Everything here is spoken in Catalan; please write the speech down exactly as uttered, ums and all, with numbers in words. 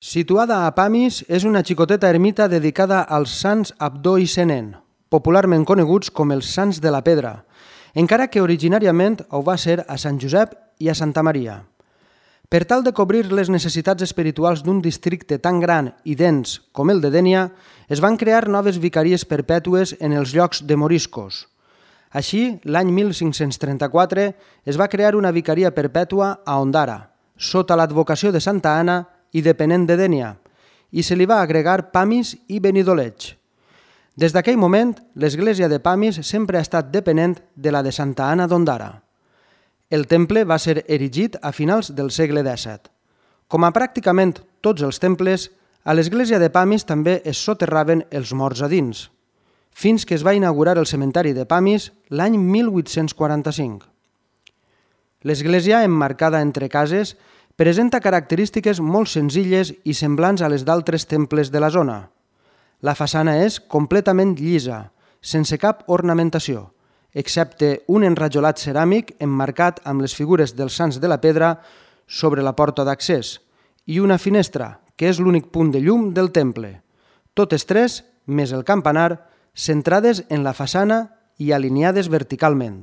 Situada a Pamis, és una xicoteta ermita dedicada als sants Abdó i Senén, popularment coneguts com els Sants de la Pedra, encara que originàriament ho va ser a Sant Josep i a Santa Maria. Per tal de cobrir les necessitats espirituals d'un districte tan gran i dens com el de Dénia, es van crear noves vicaries perpètues en els llocs de moriscos. Així, l'any mil cinc-cents trenta-quatre es va crear una vicaria perpètua a Ondara, sota l'advocació de Santa Anna i depenent de Dénia, i se li va agregar Pamis i Benidoleig. Des d'aquell moment, l'església de Pamis sempre ha estat depenent de la de Santa Anna d'Ondara. El temple va ser erigit a finals del segle dèsset. Com a pràcticament tots els temples, a l'església de Pamis també es soterraven els morts a dins, fins que es va inaugurar el cementeri de Pamis l'any mil vuit-cents quaranta-cinc. L'església, emmarcada entre cases, presenta característiques molt senzilles i semblants a les d'altres temples de la zona. La façana és completament llisa, sense cap ornamentació, excepte un enrajolat ceràmic emmarcat amb les figures dels Sants de la Pedra sobre la porta d'accés i una finestra, que és l'únic punt de llum del temple. Totes tres, més el campanar, centrades en la façana i alineades verticalment.